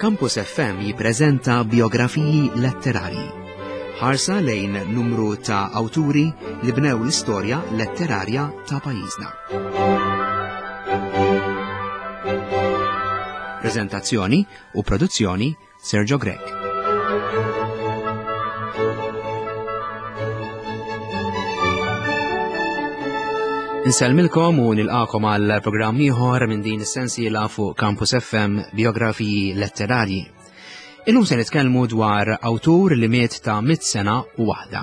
Campus FM jippreżenta biografiji letterarji. Ħarsa lejn numru ta' awturi li bnew l-istorja letterarja ta' pajjiżna. Prezentazzjoni u produzzjoni Sergio Grech. Insellmilkom u nilqakom għal programm ieħor minn din is-sensiela fuq Campus FM Biografiji Letterarji. Illum se nitkellmu dwar awtur li miet ta' mit sena u waħda.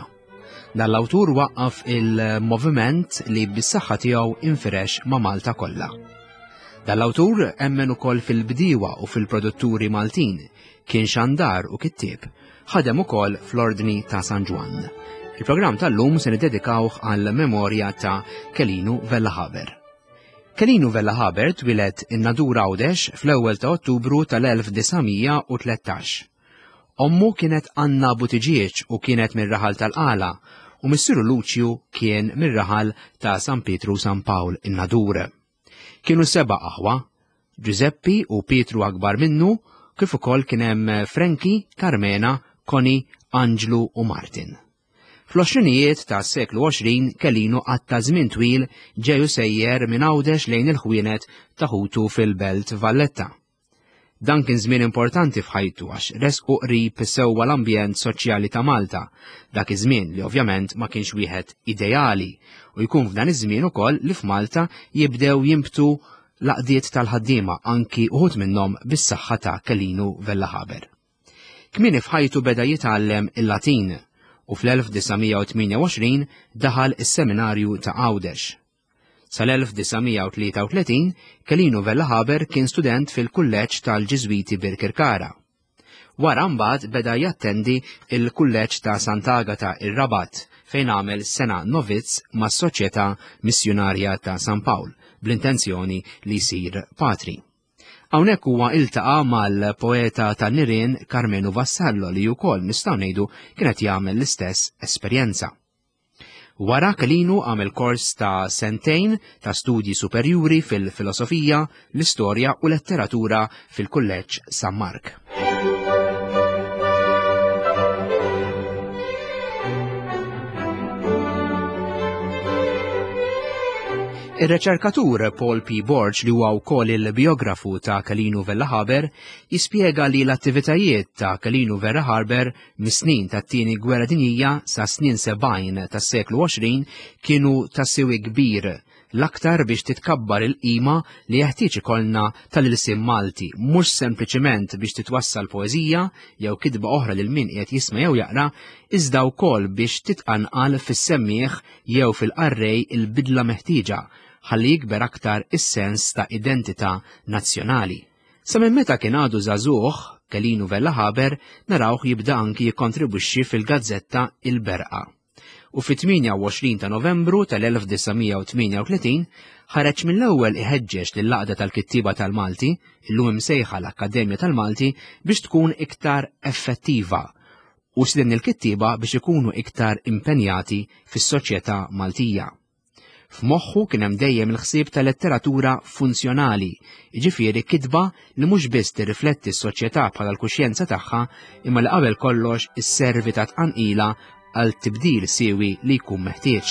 Dan l-awtur waqqaf il-moviment li bis-saħħa tiegħu infirex ma' Malta kollha. Dan l-awtur emmen ukoll fil-bdiewa u fil-produtturi Maltin, kien xandar u kittieb, ħadem ukoll fl-Ordni ta' San Ġwann. Il-programm tal-lum se niddedikawh għal memorja ta' Kelinu Vella Haber. Kelinu Vella Haber twieled in-Nadur Għawdex fl-ewwel ta' Ottubru tal-1913. Ommu kienet Anna Buttigieg u kienet mir-raħal tal-Qala u missieru Luċju kien mir-raħal ta' San Pietru San Pawl in-Nadur. Kienu seba' aħwa, Ġużeppi u Pietru akbar minnu, kif ukoll kien hemm Frankie, Carmena, Connie, Anġlu u Martin. Fl-għoxrinijiet tas-seklu 20 Kelinu qatta' żmien twil ġej u sejjer minn Għawdex lejn il-ħwienet ta' ħutu fil-Belt Valletta. Dan kien żmien importanti f'ħajtu għax resqu qrib sewwa l-ambjent soċjali ta' Malta, dak iż-żmien li ovvjament ma kienx wieħed ideali u jkun f'dan iż-żmien ukoll li f'Malta jibdew jinbtu l-għaqdiet tal-ħaddiema anki uħud minnhom bis-saħħa ta' Kelinu Vella Haber. Kmieni f'ħajtu beda jitgħallem il-Latin u fl-1928 daħal is-Seminarju ta' Għawdex. Sal-1933, Kelinu Vella Haber kien student fil-Kulleġġ tal-Ġiżwiti Birkirkara. Wara mbagħad beda jattendi il-Kulleġġ ta' Sant'Agata ir-Rabat fejn għamel sena novizz mas-Soċjetà Missjunarja ta' San Pawl bl-intenzjoni li jsir patri. Hawnhekk huwa iltaqa' mal-poeta tan-nirien Karmenu Vassallo li wkoll nistgħu ngħidu kien qed jagħmel l-istess esperjenza. Wara Kelinu għamel kors ta' sentejn ta' studji superjuri fil-filosofija, l-istorja u letteratura fil-Kulleġġ San Mark. Ir-reċerkatur Paul P. Borg li huwa wkoll il-biografu ta' Kelinu Vella Haber jispjega li l-attivitajiet ta' Kelinu Vella Haber Mis-snin tat-Tieni Gwerra Dinjija sas-snin 70 tas-seklu 20 kienu ta' siwi kbir, l-aktar biex titkabbar il-qima li jeħtieġ ikollna tal-ilsien Malti, mhux sempliċiment biex titwassal poeżija jew kitba oħra lil min qiegħed jisma' jew jaqra, iżda wkoll biex titqanqal fis-semmiegħ jew fil-qarrej il-bidla meħtieġa ħalli jikber aktar is-sens ta' identità nazzjonali. Sa minn meta kien għadu żagħżugħ, Kelinu Vella Haber narawh jibda anki jikkontribwixxi fil-gazzetta Il-Berqa. U fit-28 ta' Novembru tal-1938 ħareġ mill-ewwel iħeġġeġ lill-Għaqda tal-Kittieba tal-Malti, illum imsejħa l-Akkademja tal-Malti, biex tkun iktar effettiva u stieden il-kittieba biex ikunu iktar impenjati fis-soċjetà Maltija. F'moħħu kien hemm dejjem il-ħsieb ta' letteratura funzjonali, jiġifieri kitba li mhux biss tirrifletti s-soċjetà bħala l-kuxjenza tagħha, imma li qabel kollox isservi ta' tqanqila għal tibdil siewi li jkun meħtieġ.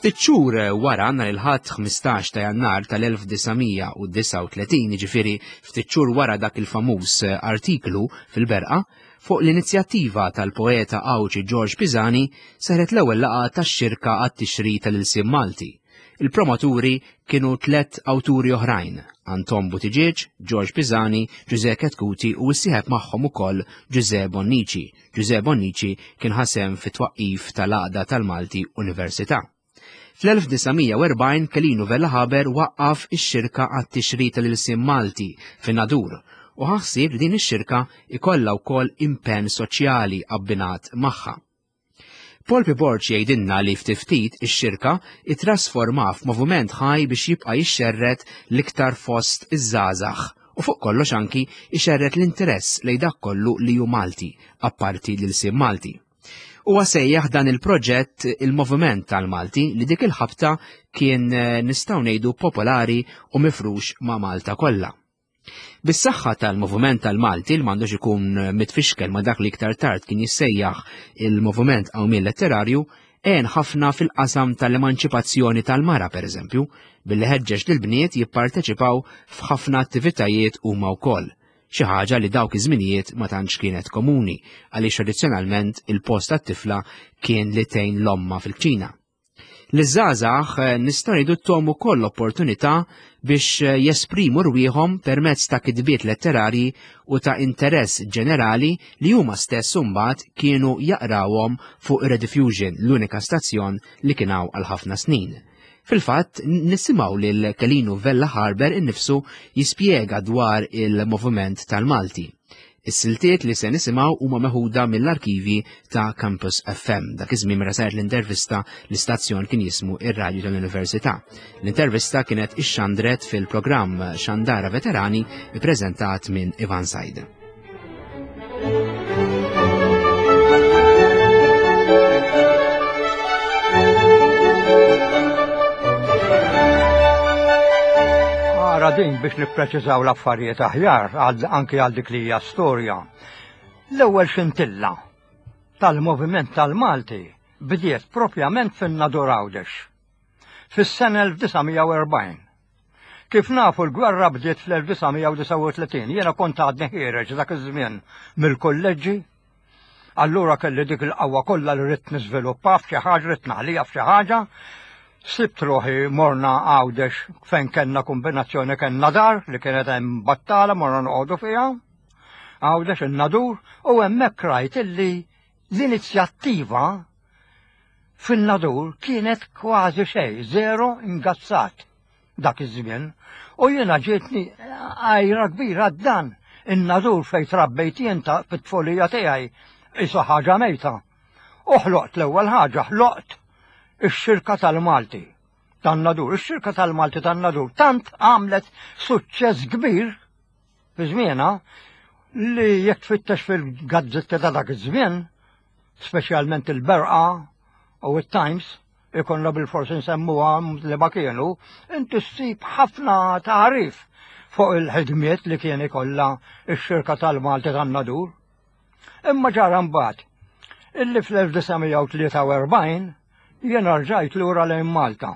Ftit xhur wara nhar il-Ħadd 15 ta' Jannar tal-1939, jiġifieri ftit xhur wara dak il-famuż artiklu fil-Berqa, fuq l-inizjattiva tal-poeta Għawdxi George Pisani saret l-ewwel laqgħa tax-Xirka għat-Tixrid tal-Ilsien Malti. Il-promoturi kienu tlett awturi oħrajn, Anton Buttigieg, George Pisani, Ġużè Chetcuti u issieħeb magħhom ukoll Ġużè Bonnici, Ġużè Bonnici kien ħa sehem fit-twaqqif tal-Għaqda tal-Malti Università. Fl-1940 Kelinu Vella Haber waqqaf ix-Xirka għat-Tixrid tal-Ilsien Malti fin-Nadur u ħa ħsieb li din ix-xirka ikollha wkoll impenn soċjali abbinat magħha. Paul P. Borg jgħidilna li ftit ftit ix-xirka ittrasforma f'moviment ħaj biex jibqa' jixxerred l-iktar fost iż-żgħażagħ u fuq kollox anki jxerred l-interess lejn dak kollu li hu Malti, apparti l-ilsien Malti. Huwa sejjaħ dan il-proġett il-Moviment tal-Malti li dik il-ħabta kien eh, nistgħu ngħidu popolari u mifrux ma' Malta kollha. Bis-saħħa tal-Moviment tal-Malti li m'għandux ikun eh, mitfixkel ma' dak li iktar tard kien jissejjaħ il-Moviment Qawmien Letterarju, għen ħafna fil-qasam tal-emanċipazzjoni tal-mara pereżempju, billi ħeġġeġ lill-bniet jipparteċipaw f'ħafna attivitajiet huma wkoll, xi ħaġa li dawk iż-żminijiet ma tantx kienet komuni għaliex tradizzjonalment il-post tat-tifla kien li tgħin l-omma fil-kċina. Liż-żgħażagħ eh, nistgħu ngħidu tom ukoll opportunità biex eh, jesprimu rwieħhom permezz ta' kitbiet letterarji u ta' interess ġenerali li huma stess imbagħad kienu jaqrawhom fuq Rediffusion, l-unika stazzjon li kien hawn għal ħafna snin. Fil-fatt, nisimgħu lil Kelinu Vella Harber innifsu jispjega dwar il-moviment tal-Malti. Is-siltiet li se nisimgħu huma meħuda mill-arkivi ta' Campus FM. Dak iż-żmien meta saret l-intervista l-istazzjon kien jismu ir-Radju tal-Università. L-intervista kienet ixxandret fil-programm Xandara Veterani ippreżentat minn Ivan Said. Ara din biex nippreċiżaw l-affarijiet aħjar anki għal dik li hija storja. L-ewwel xintilla tal-moviment tal-Malti bdiet propjament fin-Nadur Għawdex fis-sena 1940. Kif nafu l-gwerra bdiet fl-1939, jiena kont għadni ħiereġ dak iż-żmien mill-kulleġġi, allura kelli dik il-qawwa kollha li ridt niżviluppa f'xi ħaġa, ridt naħliha f'xi ħaġa. Sibt ruħi morna Għawdex fejn kellna kombinazzjoni kellna dar li kienet hemm battala morna noqogħdu fiha. Għawdex in-Nadur u hemmhekk rajt illi l-inizjattiva fin-Nadur kienet kważi xejn, zero ingazzat dak iż-żmien. U jiena ġietni għajra kbira dan in-Nadur fejn trabbejt jien ta' fit-tfulija tiegħi isa ħaġa mejta. U ħloqt l-ewwel ħaġa, ħloqt ix-xirka tal-Malti tan-Nadur. Ix-xirka tal-Malti tan-Nadur tant għamlet suċċess kbir fi żmienha li jekk tfittex fil-gazzetti ta' dak iż-żmien, speċjalment il-Berqa u it-Times, ikonna bil-forsi nsemmuha li ma kienu, inti ssib ħafna tagħrif fuq il-ħidmiet li kien ikollha x-xirka tal-Malti tan-Nadur. Imma ġara mbagħad illi fl-1943 jiena rġajt lura lejn Malta.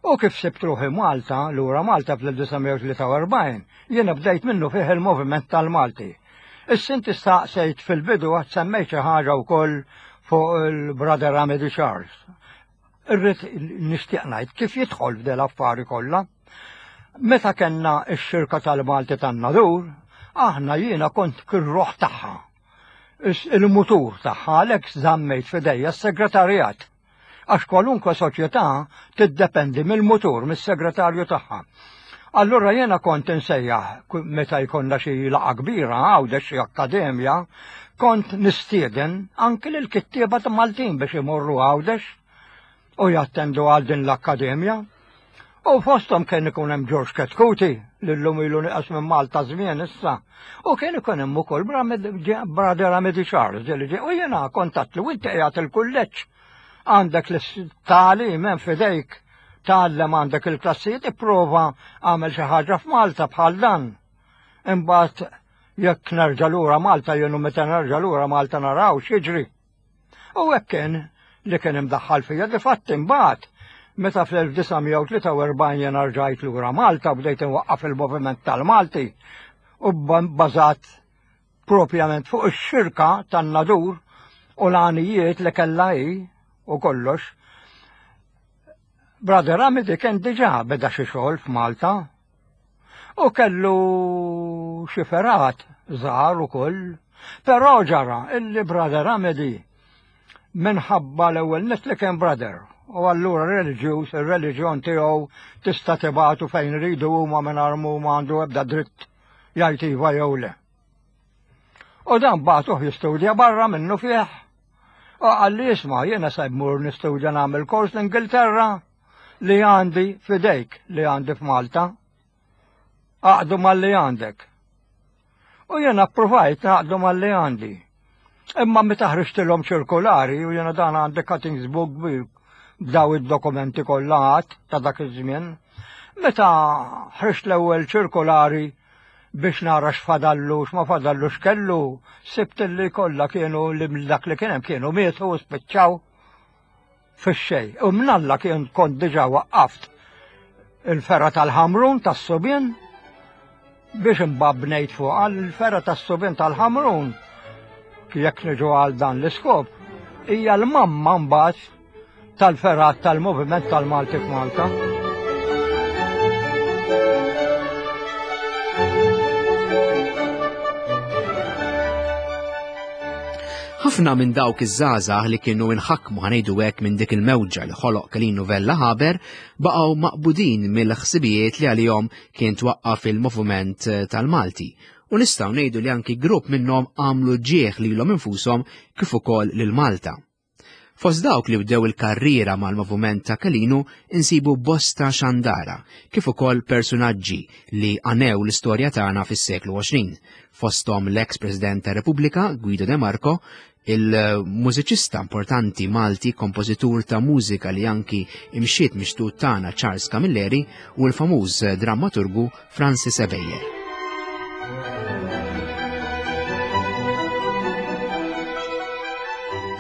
U kif sibt ruħi Malta, lura Malta fl-1943, jiena bdejt minnu fih il-moviment tal-Malti. Issa inti staqsejt fil-bidu għad semmejt xi ħaġa wkoll fuq il-Brother Amedy Charles. Irrid nixtieq ngħid kif jidħol f'del affari kollha. Meta kellna x-xirka tal-Malti tan-Nadur, aħna jiena kont kir-ruħ tagħha. Il-mutur tagħha għalhekk żammejt f'idejja s-segretarjat. Għax kwalunkwe soċjetà tiddependi mill-mutur, mis-segretarju tagħha. Allura jiena kont insejjaħ meta jkollna xi laqgħa kbira Għawdex xi akkademja, kont nistieden anki lil kittieba ta' Maltin biex imorru Għawdex u jattendu għal din l-akkademja. U fosthom kien ikun hemm George Ketkuti, li llum ilu nieqas minn Malta żmien issa, u kien ikun hemm ukoll Brother Amedy Charles, li ġie, u jiena kontattlu inti qiegħed il-kulleġġ għandek l-tagħlim hemm f'idejk, tgħallem għandek il-klassijiet, ipprova għamel xi ħaġa f'Malta bħal dan. Imbagħad jekk nerġa' lura Malta jien u meta nerġa' lura Malta naraw x'jiġri. U hekk kien li kien imdaħħal fija difatti imbagħad meta fl-1943 jien rġajt lura Malta bdejt inwaqqaf il-moviment tal-Malti u bbażat propjament fuq ix-xirka tan-Nadur u l-għanijiet li kellha hi u kollox. Brother Amity kien diġà beda xi xogħol f'Malta U kellu xi fergħat żgħar ukoll. Però ġara illi Brother Amedy minħabba l-ewwel nett li kien brother u allura reliġjuż, ir-reliġjon tiegħu tista' tibgħatu fejn iridu huma mingħajr ma għandu ebda dritt jgħid iva jew le. U dan bagħtuh jistudja barra minnu fih. U qalli isma' jiena se mmur nistudja nagħmel kors l-Ingilterra li għandi fidejk li għandi f'Malta. Aqdu mal-li għandek. U jiena provajt naqdu mal-li għandi. Imma meta ħriġtilhom ċirkolari u jiena dan għandi cuttings book kbir b'daw id-dokumenti kollha għad ta' dak iż-żmien. Meta ħriġt l-ewwel ċirkolari biex nara x'fadallu x'ma fadallu x'kellu, sibt li kollha kienu li dak li kien hemm kienu mietu u spiċċaw fix-xejn. U mnalla kien kont diġà waqqaft il-ferra tal-ħamrun tas-subien biex imbagħad bnejt fuq il-ferra tas-subien tal-ħamrun jekk niġu għal dan l-iskop hija l-mamma mbagħad tal-ferrat tal-Moviment tal-Malti f'Malta. Ħafna minn dawk iż-żgħażagħ li kienu inħakmu ħanejdu hekk minn dik il-mewġa li ħoloq Kelinu Vella Haber baqgħu maqbudin mill-ħsibijiet li għalihom kien twaqqaf il-moviment tal-Malti. U nistgħu ngħidu li anki grupp minnhom għamlu ġieħ lilhom infushom kif ukoll lil Malta. Fost dawk li bdew il-karriera mal-moviment ta' Kelinu insibu bosta xandara, kif ukoll persunaġġi li għanew l-istorja tagħna fis-seklu 20, fosthom l-eks President ta' Repubblika Guido De Marco, il-mużiċista importanti Malti, kompożitur ta' mużika li anki imxiet mixtut tagħna Charles Camilleri u l-famuż drammaturgu Francis Ebejer.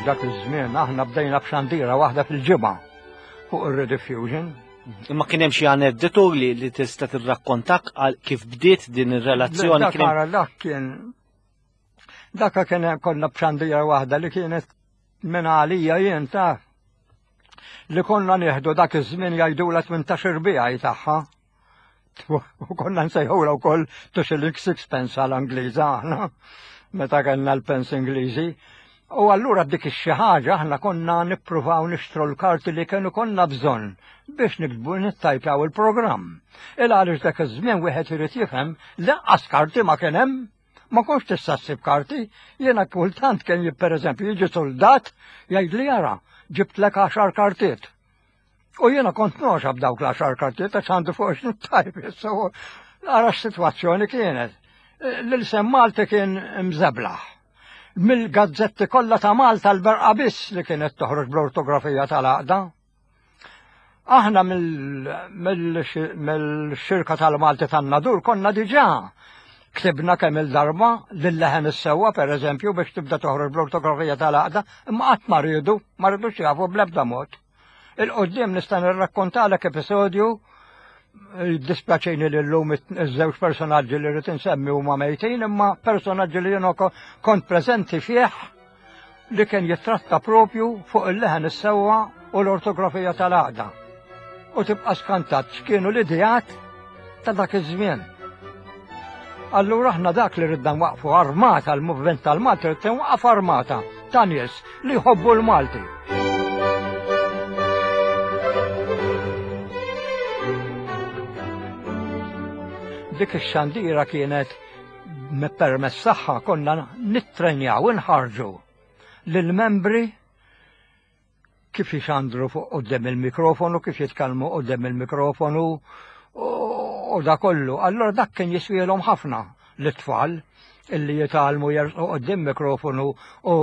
Dak iż-żmien aħna bdejna b'xandira waħda fil-ġimgħa fuq ir-rediffusion. Imma kien hemm xi aneddotu li, li tista' tirrakkontak għal kif bdiet din ir-relazzjoni kien hemm. Dak kien dak kien konna b'xandira waħda li kienet minn għalija jien taf li konna nieħdu dak iż-żmien jgħidula 18 bijaj tagħha. U konna nsejħula wkoll two shillings sixpence għal Angliża aħna, meta kellna l-pens Ingliżi. U allura dik ix-xi ħaġa aħna konna nippruvaw nixtru l-karti li kienu konna bżonn biex niktbu nittajpjaw il-programm. Il għaliex dak iż-żmien wieħed irid jifhem lanqas karti ma kien hemm. Ma kontx tista' ssib karti, jiena kultant kien pereżempju jiġi soldat jgħidli jara, ġibtlek għaxar kartiet. U jiena kont noxa b'dawk l-għaxar kartiet għax għandu fuq x'nittajb issa ara x'sitwazzjoni kienet. L-isem Malti kien mżeblaħ. Mill-gazzetti kollha ta' Malta l-berqa biss li kienet toħroġ bl-ortografija tal-għaqda. Aħna mill-xirka tal-Malti tan-Nadur konna diġà ktibna kemm il-darba lil-leħen is-sewwa pereżempju biex tibda toħroġ bl-ortografija tal-għaqda, imma qatt ma riedu, ma rridux jafu bl-ebda mod. Il-qoddim nista' nirrakkontalek episodju dispjaċini li llum iż-żewġ personaġġi li rrid insemmi huma mejtin, imma personaġġi li jiena kont preżenti fih li kien jittratta propju fuq il-leħen is-sewwa u l-ortografija tal-għaqda. U tibqa' skantat x'kienu l-ideat ta' dak iż-żmien. Allura aħna dak li ridna nwaqfu armata l-movement tal-Malti rid tinwaqaf armata ta' nies li jħobbu l-Malti. Dik ix-xandira kienet permess saħħa konna nittrenjaw inħarġu lill-membri kif jixandru fuq quddiem il-mikrofonu, kif jitkellmu quddiem il-mikrofonu u da kollu. Allora dak kien jiswielhom ħafna l-tfal illi jitgħallmu jersqu quddiem mikrofonu u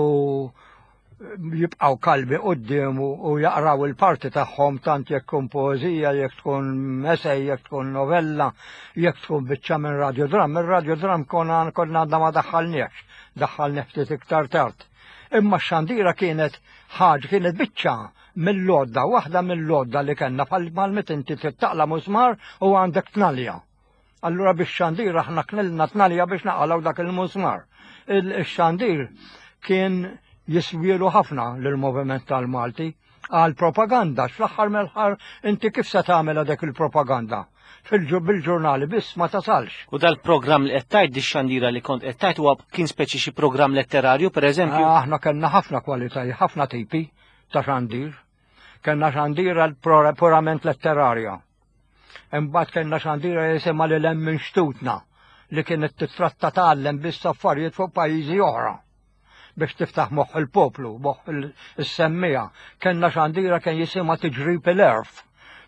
jibqaw kalbi quddiemu u jaqraw il-parti tagħhom tant jekk tkun poeżija, jekk tkun essay, jekk tkun novella, jekk tkun biċċa minn radiodram. Ir-radiodram konna għandna ma daħħalniex, daħħalni ftit iktar tard. Imma x-xandira kienet ħaġa kienet biċċa mill-lodda, waħda mill-lodda li kellna bħal meta inti trid taqla' musmar u għandek tnalja. Allura biex xandir aħna knilna tnalja biex naqalgħu dak il-musmar. Il-xandir kien jiswielu ħafna lill-moviment tal-Malti għal propaganda, x'fl-aħħar mill-aħħar inti kif se tagħmel dak il-propaganda? Bil-ġurnali biss ma tasalx. U dal-programm li qed tgħid dix-xandira li kont qed tgħid huwa kien speċi xi programm letterarju pereżempju? Ah, aħna kellna ħafna kwalitajiet, ħafna tipi ta' xandir. Kellna xandira purament letterarja. Imbagħad kellna xandira jisimha lil hemm minn xtutna li kienet titratta tgħallem biss affarijiet fuq pajjiżi oħra biex tiftaħ moħħ il-poplu, moħħ is-semmija. Kellna xandira kien jisimha tiġrib il-erf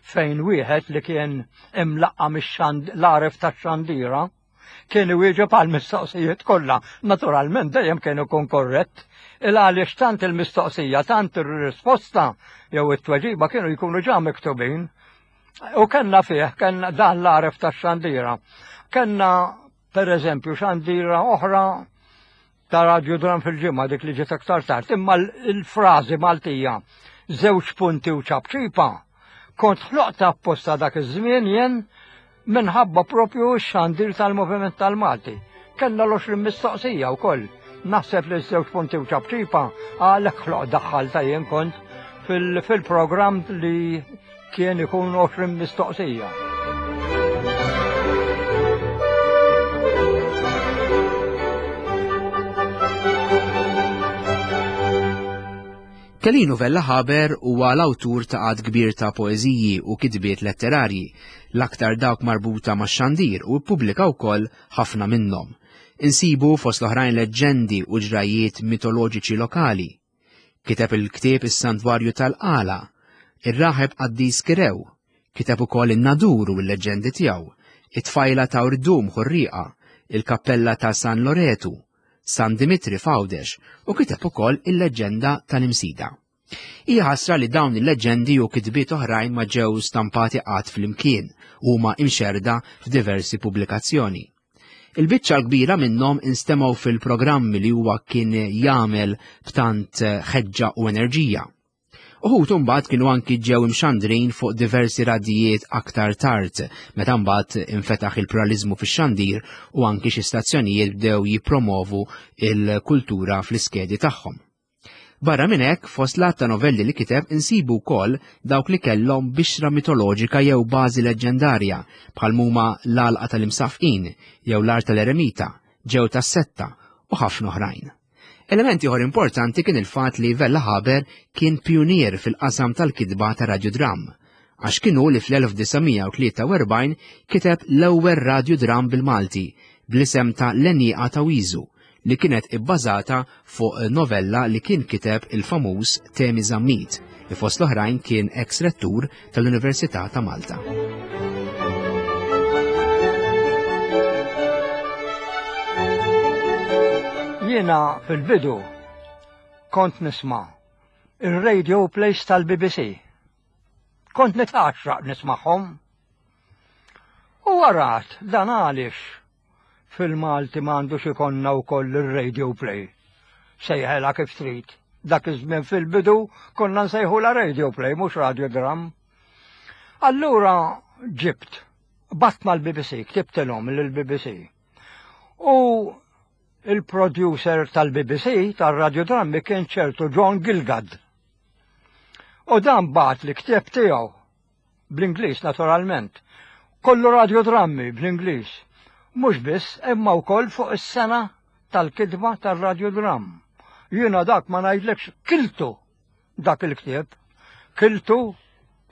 fejn wieħed li kien imlaqqa mix-l-għaref tax-xandira. Kien iwieġeb għal mistoqsijiet kollha. Naturalment dejjem kien ikun korrett. Il għaliex tant il-mistoqsija, tant ir-risposta jew it-tweġiba kienu jkunu ġa miktubin. U kellna fih, kellna dan l-għaref tax-xandira. Kellna per eżempju xandira oħra ta' radjudram fil-ġimgħa dik li ġiet aktar tard, imma l-frażi Maltija żewġ punti u ċapċipa kont ħloqta apposta dak iż-żmien jien minħabba propju x-xandir tal-Moviment tal-Malti. Kellna l-20 mistoqsija wkoll. Naħseb li żewġ punti u ċapċipa għalhekk ħloq daħħalta jien kont fil-programm li kien ikun 20 mistoqsija. Kelinu Vella Haber huwa l-awtur ta' għadd kbir ta' poeżiji u kitbiet letterarji, l-aktar dawk marbuta max-xandir u ppubblika wkoll ħafna minnhom. Insibu fost l-oħrajn leġġendi u ġrajjiet mitoloġiċi lokali. Kiteb il-ktieb Is-Santwarju tal-Qala, Ir-Raħeb Qaddis Kirew, kiteb ukoll In-Nadur u l-leġġendi tiegħu, It-Tfajla ta' Urdum Ħurrieqa, Il-Kappella ta' San Loretu, San Dimitri f'Għawdex u kiteb ukoll il-leġġenda tal-Imsida. Hija ħasra li dawn il-leġġendi u kitbiet oħrajn ma ġew stampati qatt flimkien u huma imxerrda f'diversi pubblikazzjoni. Il-biċċa l-kbira minnhom instemgħu fil-programmi li huwa kien jagħmel b'tant ħeġġa u enerġija. Uħud imbagħad kienu anki ġew imxandrin fuq diversi radijiet aktar tard, meta mbagħad infetaħ il-pluraliżmu fix-xandir u anki xi stazzjonijiet bdew jippromovu il-kultura fl-iskedi tagħhom. Barra minn hekk, fost l-għadd ta' novelli li kiteb insibu wkoll dawk li kellhom bixra mitoloġika jew bażi leġġendarja, bħal m'huma L-Għalqa tal-Imsaffqin jew L-Art tal-Eremita, Ġew tas-Setta, u ħafna oħrajn. Element ieħor importanti kien il-fatt li Vella Haber kien pijunier fil-qasam tal-kitba ta' radjudramm, għax kien hu li fl-1943 kiteb l-ewwel radjudramm bil-Malti bl-isem ta' L-Għenieqa ta' Wiżu, li kienet ibbażata fuq novella li kien kiteb il-famuż Temi Zammit, li fost l-oħrajn kien ex rettur tal-Università ta' Malta. Jiena fil-bidu kont nisma' ir-radio plays tal-BBC. Kont nitgħaxraq nismagħhom. U warat dan għaliex Fil-Malti m'għandux ikollna wkoll ir-radio play. Sejħelha kif trid. Dak iż-żmien fil-bidu konna nsejħulha radio play mhux radio dram. Allura ġibt, bat mal-BBC, ktibtilhom lill-BBC. U il-producer tal-BBC tal-radiodrammi kien ċertu John Gilgad. U dan bat li ktieb tiegħu Bl-Ingliż naturalment. Kollu radjodrammi bl-Ingliż. Mhux biss, imma wkoll fuq is-sena tal-kitba tar-radjodramm. Jiena dak ma ngħidlekx kiltu dak il-ktieb. Kiltu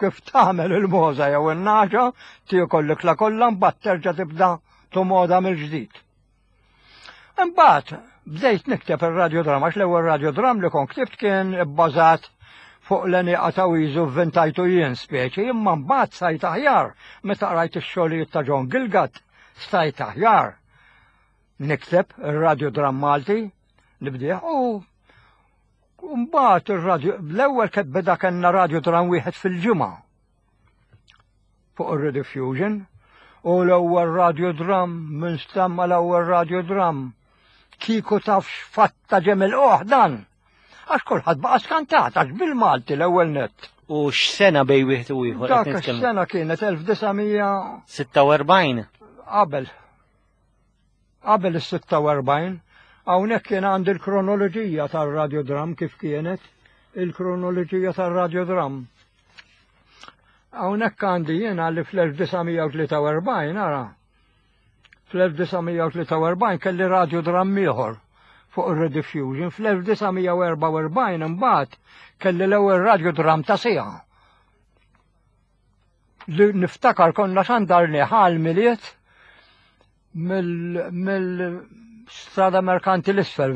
kif tagħmel il-mogħża jew in-nagħġa tiekol l-ikla kollha mbagħad terġa' tibda tomoda mill-ġdid. Imbagħad bdejt nikteb ir-radiodrama għax l-ewwel radiodram li kont ktibt kien ibbażat fuq l-għenieqa ta' Wiżu vvintajtu jien speċi, imma mbagħad stajt aħjar meta qrajt ix-xogħlijiet ta' John Gilgat, stajt aħjar nikteb ir-radiodram Malti nibdih u mbagħad ir-radio l-ewwel beda kellna radiodram wieħed fil-ġimgħa. fuq ir-rediffusion u l-ewwel radiodram minn stamma l-ewwel radiodram. Kieku taf x'fatta ġem il dan. Għax kulħadd baqa' skantat għax bil-Malti l-ewwel nett. U x'sena bej wieħed u ieħor? Dak is-sena kienet 1946. Qabel. Qabel is-46, hawnhekk kien għandi l-kronoloġija tar-radiodram kif kienet il-kronoloġija tar-radiodram. Hawnhekk għandi jiena li fl-1943 ara. Fl-1943 kelli radiodram ieħor fuq ir-rediffusion. Fl-1944 imbagħad kelli l-ewwel radiodram ta' siegħa. Li niftakar konna xandarni ħal miliet mill-strada merkanti l-isfel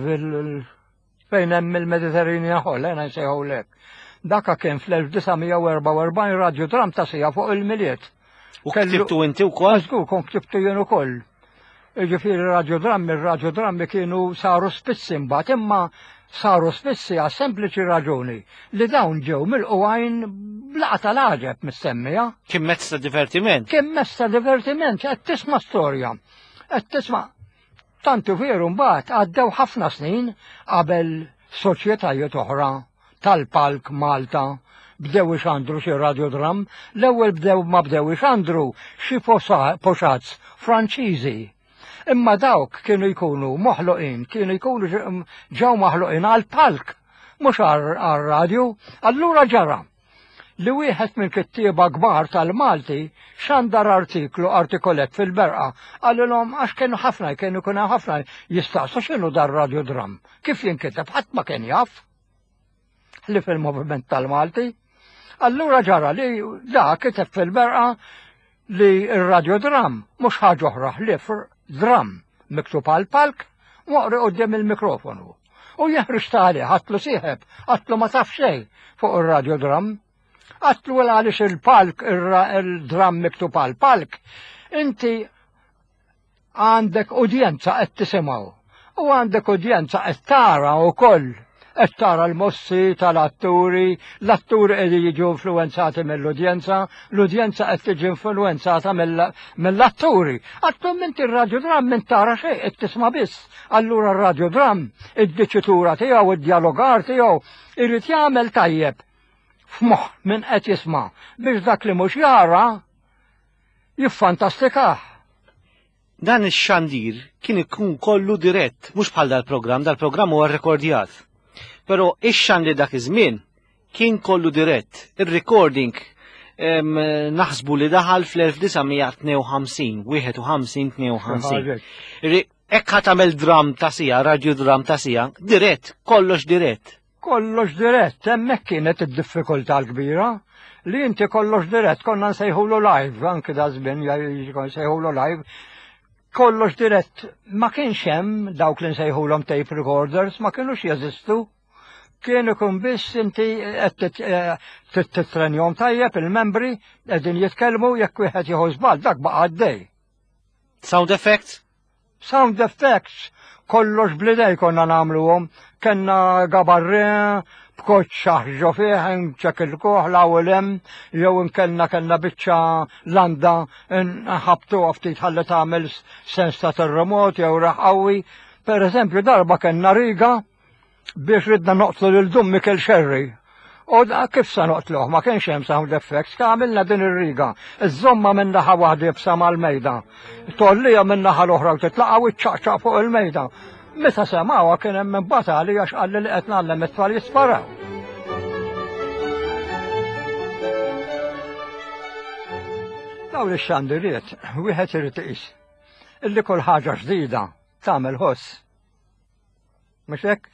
fejn hemm il-Mediterranean Hall, ejna nsejħulek. Daka kien fl-1944 radjodram ta' sija fuq il-miliet. U ktibtu inti wkoll? Żgur, kont ktibtu jien ukoll. Jiġifieri radiodrammi, ir-radiodrammi kienu saru spissi mbagħad imma saru spissi għas sempliċi raġuni li dawn ġew milqugħin b'laqgħa tal-għaġeb mis-semmija. Kien mezz ta' divertiment. Kien mezz ta' divertiment, qed tisma' storja, qed tisma' Tant hu veru mbagħad għaddew ħafna snin qabel soċjetajiet oħra tal-palk Malta bdew ixandru xi radiodram, l-ewwel bdew ma bdew ixandru xi poxazz Franċiżi. Imma dawk kienu jkunu moħloqin, kienu jkunu ġew maħluqin għall-palk, mhux għar-radju. Allura ġara li wieħed mill-kittieba kbar tal-Malti xandar artiklu artikolett fil-Berqa qalilhom għax kienu ħafna kienu kienu ħafna jistaqsu x'inhu dar radiodram, kif jinkiteb ħadd ma kien jaf li fil-moviment tal-Malti. Allura ġara li da kiteb fil-Berqa li r-radiodram mhux ħaġa oħra ħlief dram miktub għal palk moqri quddiem il-mikrofonu. U jeħriġ tali, ħatlu sieħeb, għatlu ma taf xejn fuq ir-radiodram. Għatlu għaliex il-palk, il-dram miktub għal palk, inti għandek udjenza qed tisimgħu u għandek udjenza qed tara wkoll qed tara l-mossi tal-atturi, l-atturi qegħdin jiġu influwenzati mill-udjenza, l-udjenza qed tiġi influwenzata mill-atturi. Għattum inti r-radiodram minn tara xejn qed tisma' biss. Allura r-radiodram, id-diċitura tiegħu, id-dialogar tiegħu, irid jagħmel tajjeb f'moħħ min qed jisma' biex dak li mhux jara jiffantastikah. Dan ix-xandir kien ikun kollu dirett, mhux bħal dal-programm, dal-programm huwa rrekordjat. Però ix-xandir dak iż-żmien kien kollu dirett. Ir-recording naħsbu li daħal fl-1952, 51, 52. Hekk ħa tagħmel dram ta' sija, radju dram ta' sija, dirett, kollox dirett. Kollox dirett, hemmhekk kienet id-diffikultà l-kbira li inti kollox dirett konna nsejħulu live, anki da żmien nsejħulu live. Kollox dirett ma kienx hemm dawk li nsejħulhom tape recorders, ma kienux jeżistu. Kien ikun biss inti qed eh, titrenjhom tajjeb il-membri qegħdin jitkellmu jekk wieħed jieħu żball dak baqa' għaddej. Sound effects? Sound effects, kollox blidej konna nagħmluhom. Kenna gabarre, b'koċċa ħġo fih, nċekilkuh l-ewwel hemm, jew inkellna kellna biċċa landa nħabtuha ftit ħalli tagħmel sens ta' terremot jew reħ qawwi. Per eżempju, darba kellna riga biex ridna noqtlu lil Dun Mikel Xerri. U kif sa noqtluh, ma kienx hemm sound effects, ka għamilna din ir-riga. Iżomma minn naħa waħda jibsa mal-mejda. Tollija minn naħa l-oħra u titlaqa u ċċaqċaq fuq il-mejda. Meta semgħuha kien hemm min batali għax qalli li qed ngħallem it-tfal jisparaw. Dawn ix-xandiriet, wieħed irid iqis illi kull ħaġa ġdida tagħmel ħoss. Mhux hekk?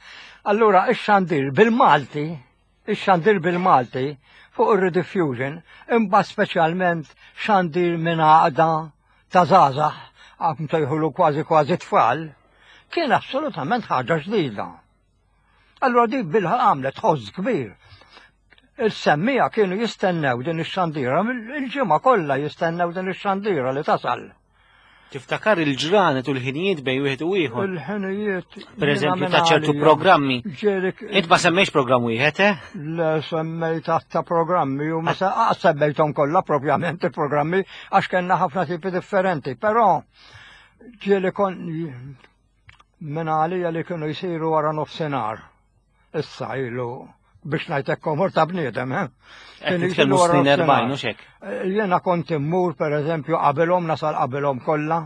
Allura ix-xandir bil-Malti, ix-xandir bil-Malti fuq ir-rediffusion, imbagħad speċjalment xandir minn għaqda ta' żgħażagħ għam sejħulu kważi kważi tfal, kien assolutament ħaġa ġdida. Allura dik bilħa għamlet ħoss kbir. Il-semmija kienu jistennew din ix-xandira, il-ġimgħa kollha jistennew din ix-xandira li tasal. Tiftakar il-ġranet u l-ħinijiet bejn wieħed u ieħor. Il-ħinijiet. Per eżempju ta' ċertu programmi. Int ma semmejx programm wieħed, eh? Le semmejt ta' programmi u ma semmejthom kollha propjament il-programmi għax kellna ħafna tipi differenti, però ġieli kon minn għalija li kienu jsiru wara nofsinhar. Issa ilu biex ngħidlek komor ta' bniedem, eh? Kien jitkellmu snin 40 u xek. Eh, jiena kont immur pereżempju qabilhom nasal qabilhom kollha,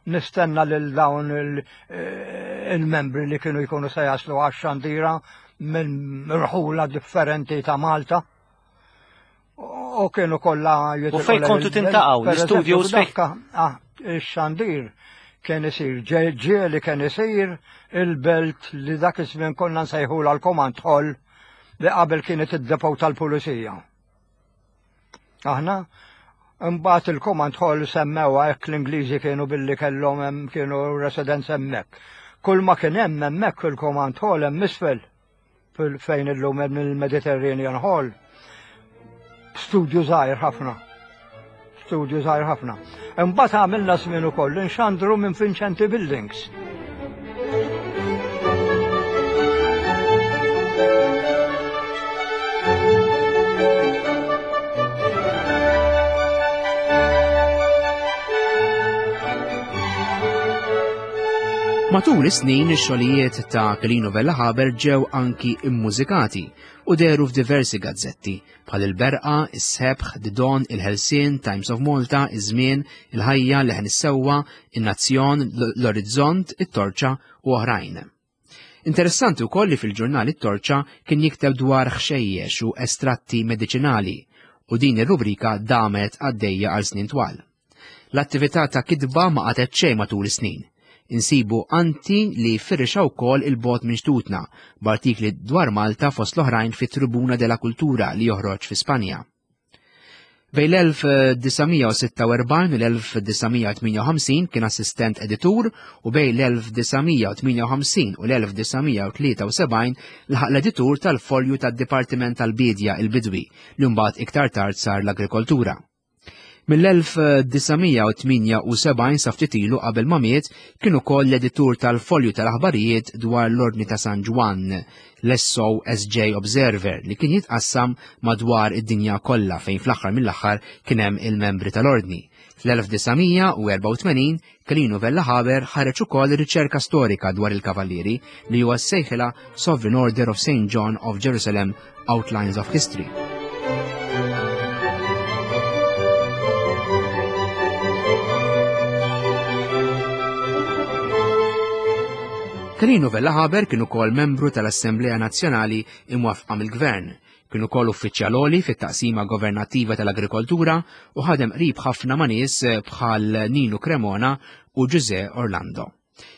nistenna lil dawn eh, il-membri li kienu jkunu se jaslu għax-xandira minn rħula differenti ta' Malta. U kienu kollha U fejn kontu tintaqgħu, l-istudios fejn? Ah, ix-xandir kien isir ġieli kien isir il-belt li dak iż-żmien konna nsejħulha l-Command Hall li qabel kienet id-depot tal-pulizija. Aħna imbagħad il-Command Hall semmewha hekk l-Ingliżi kienu billi kellhom hemm kienu residence hemmhekk. Kull ma kien hemm hemmhekk fil-Command Hall hemm isfel fejn illum hemm il-Mediterranean Hall. Studju żgħir ħafna. Studio żgħir ħafna. Imbagħad għamilna żmien ukoll inxandru minn Vincenti Buildings. Matul is-snin ix-xogħlijiet ta' Kelino Vella Haber ġew anki immużikati u dehru f'diversi gazzetti bħal Il-Berqa, Is-Sebħ, The Dawn, Il-Ħelsien, Times of Malta, Iż-Żmien, Il-Ħajja, Leħen is-Sewwa, In-Nazzjon, L-Orizzont, It-Torċa u oħrajn. Interessanti wkoll li fil-ġurnal It-Torċa kien jikteb dwar ħxejjex u estratti mediċinali u din ir-rubrika damet għaddejja għal snin twal. L-attività ta' kitba ma qatgħet xejn matul is-snin. Insibu anti li firxa wkoll il-bogħod minn xtutna, b'artikli dwar Malta fost l-oħrajn fit-Tribuna della Cultura li joħroġ fi Spanja. Bejn l-1946 u l-1958 kien assistent editur u bejn l-1958 u l-1973 laħaq l-editur tal-folju tad-Dipartiment tal-Biedja il-Bidwi li mbagħad iktar tard sar l-Agrikoltura. Mill-1978 sa ftit ilu qabel ma miet kien ukoll l-editur tal-folju tal-aħbarijiet dwar l-Ordni ta' San Ġwann, l-SOSJ Observer, li kien jitqassam madwar id-dinja kollha fejn fl-aħħar mill-aħħar kien hemm il-membri tal-Ordni. Fl-1984 Kelinu Vella Haber ħareġ ukoll riċerka storika dwar il-Kavallieri li huwa sejħilha Sovereign Order of St. John of Jerusalem Outlines of History. Kelinu Vella Haber kien ukoll membru tal-Assemblea Nazzjonali imwaffqa mill-Gvern. Kien ukoll uffiċjal għoli fit-taqsima governattiva tal-agrikoltura u ħadem qrib ħafna ma' nies bħal Ninu Cremona u Ġużè Orlando.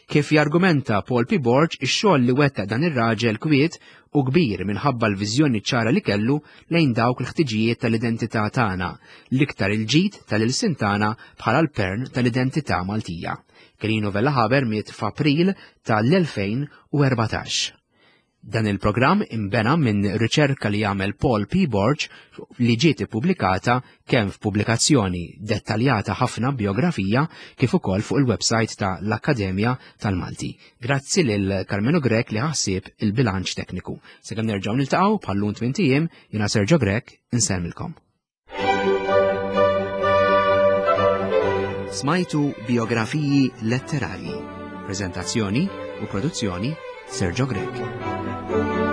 Kif jargumenta Paul P. Borg, ix-xogħol li wettaq dan ir-raġel kwiet u kbir minħabba l-viżjoni ċara li kellu lejn dawk il-ħtiġijiet tal-identità tagħna, l-iktar il-ġid tal-ilsien tagħna bħala l-pern tal-identità Maltija. Kelino Vella Haber miet f'April tal-2014. Dan il-programm inbena minn riċerka li għamel Paul P. Borg li ġiet ippubblikata kemm f'pubblikazzjoni dettaljata ħafna biografija kif ukoll fuq il-website ta' l-Akkademja tal-Malti. Grazzi lil Karmenu Grech li ħassib il-bilanċ tekniku. Sakemm nerġgħu niltaqgħu bħal-lum tmint ijiem, jiena Sergio Grech insellmilkom. Smajtu biografiji letterarji. Prezentazzjoni u produzzjoni Sergio Grech.